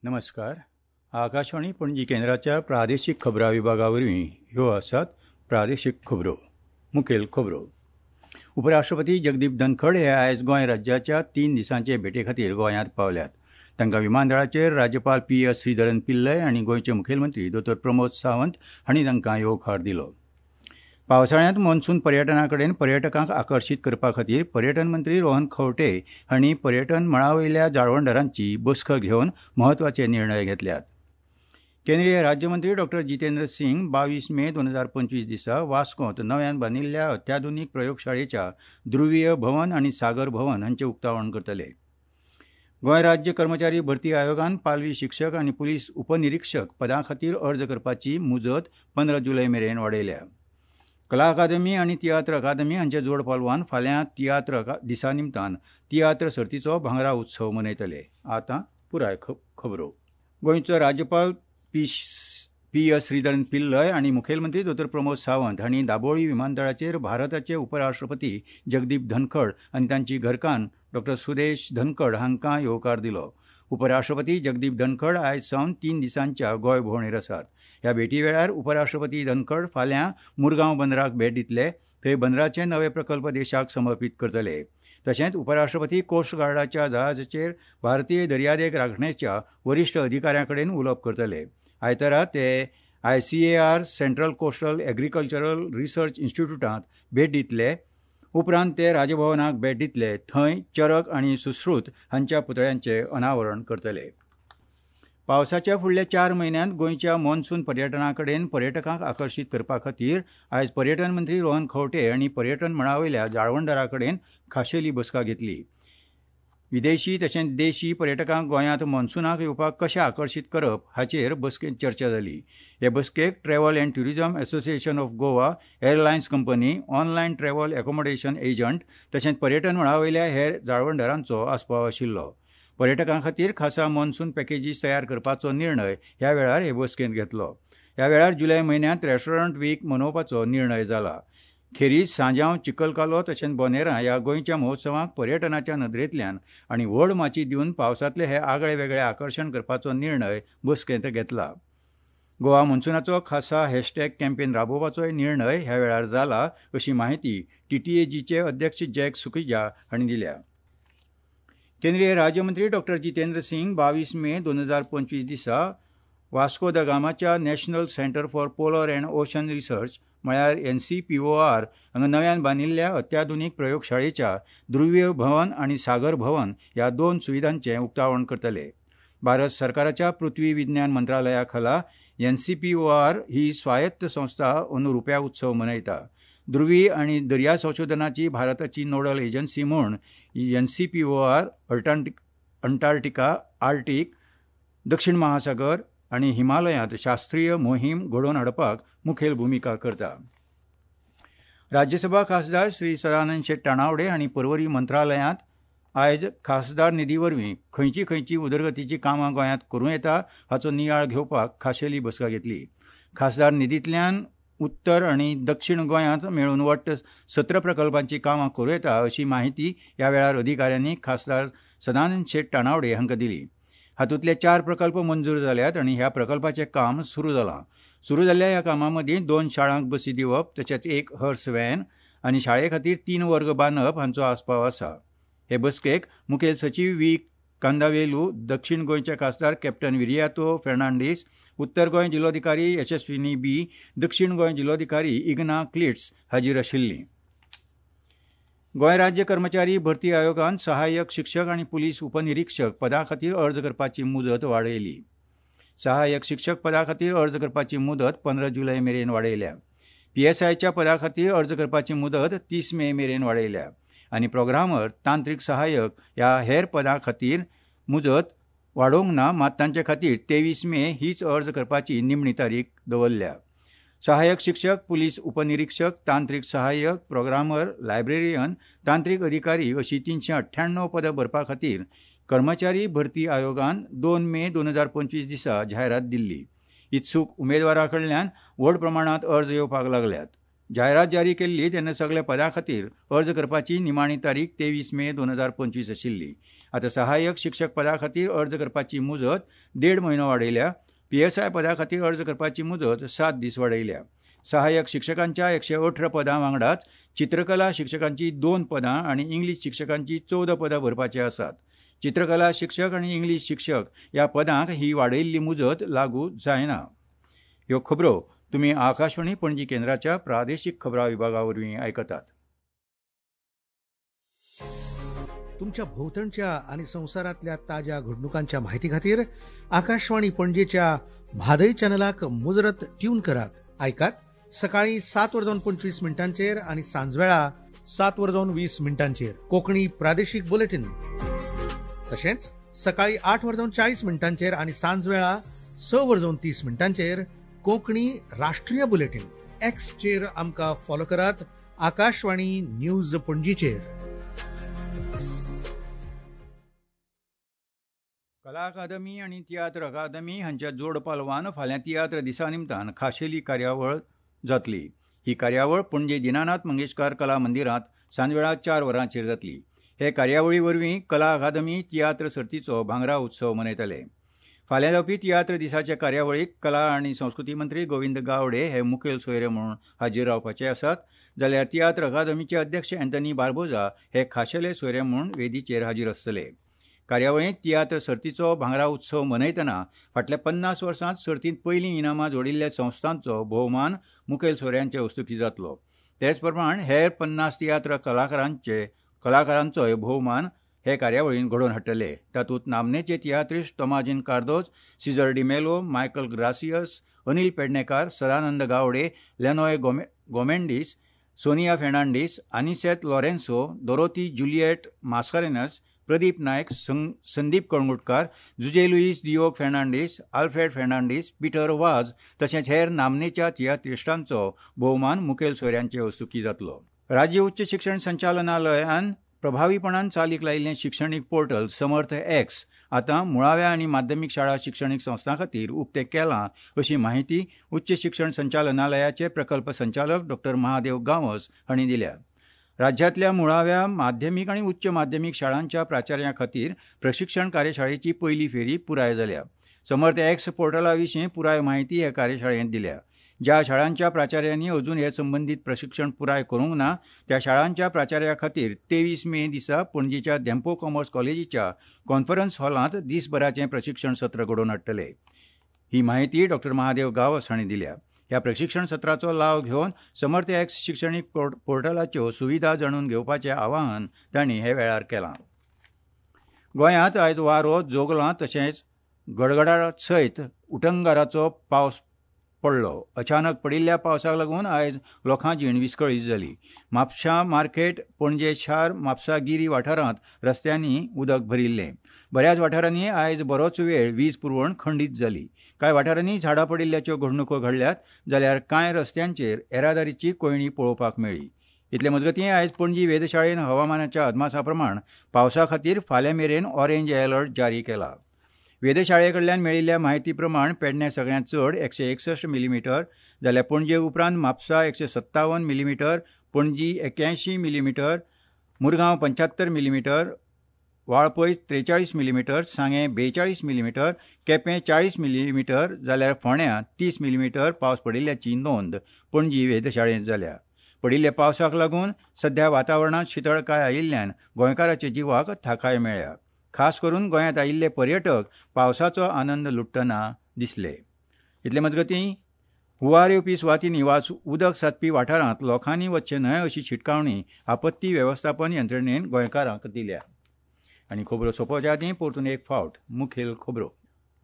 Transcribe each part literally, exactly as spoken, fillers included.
नमस्कार. आकाशवाणी पणजी केंद्राच्या प्रादेशीक खबरां विभागा वरवीं ह्यो आसात प्रादेशीक खबरो. मुखेल खबरो. उपराष्ट्रपती जगदीप धनखड हे आयज गोंय राज्याच्या तीन दिसांचे भेटे खातीर गोंयांत पावल्यात. तांकां विमानतळाचेर राज्यपाल पी एस श्रीधरन पिल्लय आनी गोंयचे मुखेलमंत्री दोतोर प्रमोद सावंत हांणी तांकां येवकार दिलो. पावसाळ्यांत मॉन्सून पर्यटना कडेन पर्यटकांक आकर्शीत करपा खातीर पर्यटन मंत्री रोहन खंवटे हांणी पर्यटन मळा वयल्या जाळवणदारांची बसका घेवन म्हत्वाचे निर्णय घेतल्यात. केंद्रीय राज्यमंत्री डॉक्टर जितेंद्र सिंग बावीस मे दोन हजार पंचवीस दिसा वास्कोंत नव्यान बांदिल्ल्या अत्याधुनीक प्रयोगशाळेच्या ध्रुवीय भवन आनी सागर भवन हांचें उक्तावण करतले. गोंय राज्य कर्मचारी भरती आयोगान पालवी शिक्षक आनी पुलीस उपनिरीक्षक पदां खातीर अर्ज करपाची मुजत पंदरा जुलय मेरेन वाडयल्या. कला अकादमी आनी तियात्र अकादमी हांच्या जोड पालवान फाल्यां तियात्र दिसा निमतान तियात्र सर्तीचो भांगरा उत्सव मनयतले. आतां पुराय खबरो. गोंयचो राज्यपाल P P S Sreedharan Pillai आनी मुखेलमंत्री दोतोर प्रमोद सावंत हांणी दाबोळी विमानतळाचेर भारताचे उपराष्ट्रपती जगदीप धनखड आनी तांची घरकान्न डॉक्टर सुदेश धनखड हांकां येवकार दिलो. उपराष्ट्रपती जगदीप धनखड आयज सावन तीन दिसांच्या गोंय भोंवडेर आसात. ह्या भेटी वेळार उपराष्ट्रपती धनखड फाल्यां मुरगांव बंदराक भेट दितले. थंय बंदराचे नवे प्रकल्प देशाक समर्पीत करतले. तशेंच उपराष्ट्रपती कोस्ट गार्डाच्या जहाजाचेर भारतीय दर्यादेग राखणेच्या वरिश्ठ अधिकाऱ्यां कडेन उलोवप करतले. आयतारा ते I C A R central coastal agricultural research इन्स्टिट्यूटांत भेट दितले. उपरांत ते राजभवनाक भेट दितले. थंय चरक आनी सुश्रुत हांच्या पुतळ्यांचें अनावरण करतले. पावसाच्या फुडल्या चार म्हयन्यांत गोंयच्या मॉन्सून पर्यटना कडेन पर्यटकांक आकर्शीत करपा खातीर आयज पर्यटन मंत्री रोहन खंवटे हांणी पर्यटन मळा वयल्या जाळवणदारां कडेन खाशेली बसका घेतली. विदेशी तशेंच देशी पर्यटकांक गोंयांत मॉन्सुनाक येवपाक कशें आकर्शीत करप हाचेर बसकेंत चर्चा जाली. हे बसकेक travel and tourism association of Goa, airlines company, online travel accommodation agent तशेंच पर्यटन मळा वयल्या हेर जाळवणदारांचो आस्पाव आशिल्लो. पर्यटकां खातीर खासा मॉन्सून पॅकेजीस तयार करपाचो निर्णय ह्या वेळार हे बसकेंत घेतलो. ह्या वेळार जुलय म्हयन्यांत रेस्टॉरंट वीक मनोवपाचो निर्णय जाला. खेरीज सांजांव, चिखलकालो तशेंच बोनेरा ह्या गोंयच्या महोत्सवांक पर्यटनाच्या नदरेंतल्यान आनी व्हड माची दिवन पावसांतले हे आगळे वेगळे आकर्शण करपाचो निर्णय बसकेंत घेतला. गोवा मॉन्सुनाचो खासा हॅशटॅग कॅम्पेन राबोवपाचोय निर्णय ह्या वेळार जाला अशी माहिती टीटीएजीचे अध्यक्ष जॅक सुखिजा हांणी दिल्या. केंद्रीय राज्यमंत्री डॉक्टर जितेंद्र सिंग बावीस मे दोन हजार पंचवीस दिसा वास्को the गामाच्या national centre for polar and ocean research म्हळ्यार N C P O R हांगा नव्यान बांदिल्ल्या अत्याधुनीक प्रयोगशाळेच्या ध्रुवीय भवन आनी सागर भवन ह्या दोन सुविधांचें उक्तावण करतले. भारत सरकाराच्या पृथ्वी विज्ञान मंत्रालया खाला N C P O R ही स्वायत्त संस्था अंदू रुप्या उत्सव मनयता. ध्रुवी आनी दर्या संशोधनाची भारताची नोडल एजन्सी म्हूण N C P O R Antarctica, Arctic, दक्षिण महासागर आनी हिमालयांत शास्त्रीय मोहीम घडोवन हाडपाक मुखेल भुमिका करता. राज्यसभा खासदार श्री सदानंद शेट तानावडे हांणी पर्वरी मंत्रालयांत आयज खासदार निधी वरवीं खंयची खंयची उदरगतीची कामां गोंयांत करूं येता हाचो नियाळ घेवपाक खाशेली बसका घेतली. खासदार निधींतल्यान उत्तर आनी दक्षिण गोंयांत मेळून वट्ट सतरा प्रकल्पांची कामां करूं येता अशी माहिती ह्या वेळार अधिकाऱ्यांनी खासदार सदानंद शेट तानावडे हांकां दिली. हातूंतले चार प्रकल्प मंजूर जाल्यात आनी ह्या प्रकल्पाचें काम सुरू जालां. सुरू जाल्ल्या ह्या कामां मदीं दोन शाळांक बसी दिवप तशेंच एक हर्स व्हॅन आनी शाळे खातीर तीन वर्ग बांदप हांचो आस्पाव आसा. हे बसकेक मुखेल सचीव व्ही कांदावेलू, दक्षिण गोंयचे खासदार कॅप्टन विरियातो फेर्नांडीस, उत्तर गोंय जिल्लोधिकारी यशस्विनी बी, दक्षिण गोंय जिल्लोधिकारी इग्ना क्लिट्स हाजीर आशिल्लीं. गोंय राज्य कर्मचारी भरती आयोगान सहाय्यक शिक्षक आनी पुलीस उपनिरीक्षक पदां खातीर अर्ज करपाची मुजत वाडयली. सहाय्यक शिक्षक पदा खातीर अर्ज करपाची मुदत पंदरा जुलय मेरेन वाडयल्या. पीएसआयच्या पदा खातीर अर्ज करपाची मुदत तीस मे मेरेन वाडयल्या आनी प्रोग्रामर, तांत्रीक सहाय्यक ह्या हेर पदां खातीर मुजत वाडोवंक ना, मात तांचे खातीर तेवीस मे हीच अर्ज करपाची निमणी तारीख दवरल्या. सहाय्यक शिक्षक, पुलीस उपनिरीक्षक, तांत्रीक सहाय्यक, प्रोग्रामर, लायब्रेरियन, तांत्रीक अधिकारी अशी तिनशे अठ्ठ्याण्णव पदां भरपा खातीर कर्मचारी भरती आयोगान दोन मे दोन हजार पंचवीस दिसा जायरात दिल्ली. इत्सूक उमेदवारां कडल्यान व्हड प्रमाणांत अर्ज येवपाक लागल्यात. जायरात जारी केल्ली तेन्ना सगल्या पदां खातीर अर्ज करपाची निमाणी तारीख तेवीस मे दोन हजार पंचवीस आशिल्ली. आतां सहाय्यक शिक्षक पदा खातीर अर्ज करपाची मुजत देड म्हयनो वाडयल्या. पीएसआय पदा खातीर अर्ज करपाची मुजत सात दीस वाडयल्या. सहाय्यक शिक्षकांच्या एकशे अठरा पदां वांगडाच चित्रकला शिक्षकांची दोन पदां आनी इंग्लीश शिक्षकांची चवदा पदां भरपाची आसात. चित्रकला शिक्षक आनी इंग्लीश शिक्षक ह्या पदांक ही वाडयिल्ली मुजत लागू जायना. ह्यो खबरो तुमी आकाशवाणी पणजी केंद्राच्या प्रादेशीक खबरां विभागा वरवीं आयकतात. तुमच्या भोवतणच्या आनी संवसारांतल्या ताज्या घडणुकांच्या माहिती खातीर आकाशवाणी पणजेच्या म्हादय चॅनलाक मुजरत ट्यून करात. आयकात सकाळी सात वर जावन पंचवीस मिनटांचेर आनी सांजवेळा सात वर जावन वीस मिनटांचेर कोंकणी प्रादेशीक बुलेटीन. तशेंच सकाळी आठ वर जावन चाळीस मिनटांचेर आनी सांजवेळा स वर जावन तीस मिनटांचेर कोंकणी राष्ट्रीय बुलेटीन. एक्सचेर आमकां फॉलो करात आकाशवाणी न्यूज पणजीचेर. कला अकादमी आनी तियात्र अकादमी हांच्या जोड पालवान फाल्यां तियात्र दिसा निमतान खाशेली कार्यावळ जातली. ही कार्यावळ पणजे दीनानाथ मंगेशकार कला मंदिरांत सांजवेळा चार वरांचेर जातली. हे कार्यावळी वरवीं कला अकादमी तियात्र सर्तीचो भांगरा उत्सव मनयतले. फाल्यां जावपी तियात्र दिसाच्या कार्यावळीक कला आनी संस्कृती मंत्री गोविंद गावडे हे मुखेल सोयरे म्हणून हाजीर रावपाचे आसात, जाल्यार तियात्र अकादमीचे अध्यक्ष अँथनी बार्बोजा हे खाशेले सोयरे म्हूण वेदीचेर हाजीर आसतले. कार्यावळींत तियात्र सर्तीचो भांगरा उत्सव मनयतना फाटल्या पन्नास वर्सांत सर्तींत पयलीं इनामां जोडिल्ल्या संस्थांचो भोवमान मुखेल सोयऱ्यांचे हस्तुकीं जातलो. तेच प्रमाण हेर पन्नास तियात्र कलाकारांचे कलाकारांचोय भोवमान हे कार्यावळीन घडोवन हाडटले. तातूंत नामनेचे तियात्रिस्ट तोमाजीन कार्दोज, सीझर डिमेलो, मायकल ग्रासियस, अनिल पेडणेकार, सदानंद गावडे, लेनॉय गोमे गोमेंडीस, सोनिया फेर्नांडीस, आनिसेत लॉरेन्सो, दोरोती जुलिएट मास्कारेनस, प्रदीप नायक, संदीप कळंगुटकार, जुजे लुईस दियोग फेर्नांडीस, आल्फ्रेड फेर्नांडीस, पिटर वाज तशेंच हेर नामनेच्या तियात्रिस्टांचो भोवमान मुखेल सोयऱ्यांचे हस्तुकीं जातलो. राज्य उच्च शिक्षण संचालनालयान प्रभावीपणान चालीक लायिल्लें शिक्षणीक पोर्टल समर्थ एक्स आतां मुळाव्या आनी माध्यमीक शाळा शिक्षणीक संस्थां खातीर उक्तें केलां अशी माहिती उच्च शिक्षण संचालनालयाचे प्रकल्प संचालक डॉक्टर महादेव गांवस हांणी दिल्या. राज्यांतल्या मुळाव्या माध्यमीक आनी उच्च माध्यमीक शाळांच्या प्राचार्यां खातीर प्रशिक्षण कार्यशाळेची पयली फेरी पुराय जाल्या. समर्थ एक्स पोर्टला विशीं पुराय माहिती हे कार्यशाळेंत दिल्या. ज्या शाळांच्या प्राचार्यांनी अजून हे संबंदीत प्रशिक्षण पुराय करूंक ना त्या शाळांच्या प्राचार्या खातीर तेवीस मे दिसा पणजेच्या धेंपो कॉमर्स कॉलेजीच्या कॉन्फरन्स हॉलांत दिसभराचें प्रशिक्षण सत्र घडोवन हाडटले. ही माहिती डॉक्टर महादेव गांवस हांणी दिल्या. ह्या प्रशिक्षण सत्राचो लाव घेवन समर्थ एक्स शिक्षणीक पोर्टलाच्यो सुविधा जाणून घेवपाचें आवाहन तांणी हे वेळार केलां. गोंयांत आयज वारो, जोगलां तशेंच गडगडाट सयत उटंगाराचो पावस पडलो. अचानक पडिल्ल्या पावसाक लागून आयज लोकां जीण विस्कळीत जाली. म्हापशा मार्केट, पणजे शार, म्हापसा गिरी वाठारांत रस्त्यांनी उदक भरिल्लें. बऱ्याच वाठारांनी आयज बरोच वेळ वीज पुरवण खंडीत जाली. कांय वाठारांनी झाडां पडिल्ल्याच्यो घडणुको घडल्यात, जाल्यार कांय रस्त्यांचेर येरादारीची कोंयडी पळोवपाक मेळ्ळी. इतले मजगतीं आयज पणजी वेधशाळेन हवामानाच्या अदमासा प्रमाण पावसा खातीर फाल्यां मेरेन ऑरेंज अलर्ट जारी केला. वेधशाळे कडल्यान मेळिल्ल्या माहिती प्रमाण पेडण्यां सगळ्यांत चड एकशे एकसश्ट मिलीमिटर, जाल्यार पणजे उपरांत म्हापसा एकशे सत्तावन मिलीमिटर, पणजी एक्यायशीं मिलीमिटर, मुरगांव पंच्यात्तर मिलीमिटर, वाळपय त्रेचाळीस मिलीमिटर, सांगें बेचाळीस मिलीमिटर, केपें चाळीस मिलीमिटर, जाल्यार फोंड्यां तीस मिलीमिटर पावस पडिल्ल्याची नोंद पणजी वेधशाळेंत जाल्या. पडिल्ल्या पावसाक लागून सध्या वातावरणांत शितळकाय आयिल्ल्यान गोंयकाराच्या जिवाक थाकाय मेळ्ळ्या. खास करून गोंयांत आयिल्ले पर्यटक पावसाचो आनंद लुटतना दिसले. इतले मजगतीं हुंवार येवपी सुवातींनी वा उदक साचपी वाठारांत लोकांनी वचचें न्हय अशी शिटकावणी आपत्ती वेवस्थापन यंत्रणेन गोंयकारांक दिल्या. आनी खबरो सोंपोवच्या आदीं परतून एक फावट मुखेल खबरो.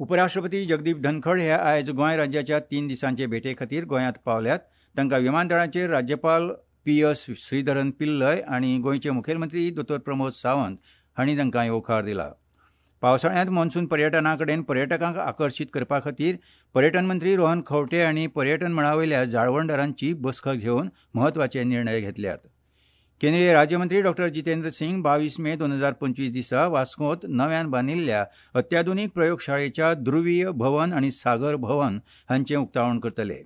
उपराष्ट्रपती जगदीप धनखड हे आयज गोंय राज्याच्या तीन दिसांचे भेटे खातीर गोंयांत पावल्यात. तांकां विमानतळाचेर राज्यपाल पी एस श्रीधरन पिल्लय आनी गोंयचे मुखेलमंत्री दोतोर प्रमोद सावंत हांणी तांकां येवकार दिला. पावसाळ्यांत मॉन्सून पर्यटना कडेन पर्यटकांक आकर्शीत करपा खातीर पर्यटन मंत्री रोहन खंवटे हांणी पर्यटन मळा वयल्या जाळवणदारांची बसका घेवन म्हत्वाचे निर्णय घेतल्यात. केंद्रीय राज्यमंत्री डॉक्टर जितेंद्र सिंग बावीस मे दोन हजार पंचवीस दिसा वास्कोंत नव्यान बांदिल्ल्या अत्याधुनीक प्रयोगशाळेच्या ध्रुवीय भवन आनी सागर भवन हांचें उक्तावण करतले.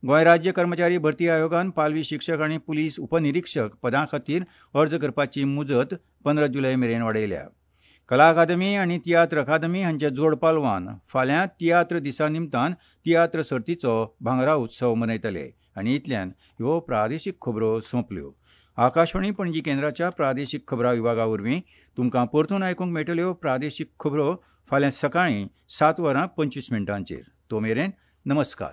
गोंय राज्य कर्मचारी भरती आयोगान पालवी शिक्षक आनी पुलीस उपनिरीक्षक पदां खातीर अर्ज करपाची मुजत पंदरा जुलय मेरेन वाडयल्या. कला अकादमी आनी तियात्र अकादमी हांच्या जोड पालवान फाल्यां तियात्र दिसा निमतान तियात्र सर्तीचो भांगरा उत्सव मनयतले. आनी इतल्यान ह्यो प्रादेशीक खबरो सोंपल्यो. आकाशवाणी पणजी केंद्राच्या प्रादेशीक खबरां विभागा वरवीं तुमकां परतून आयकूंक मेळटल्यो प्रादेशीक खबरो फाल्यां सकाळीं सात वरां पंचवीस मिनटांचेर. तो मेरेन नमस्कार.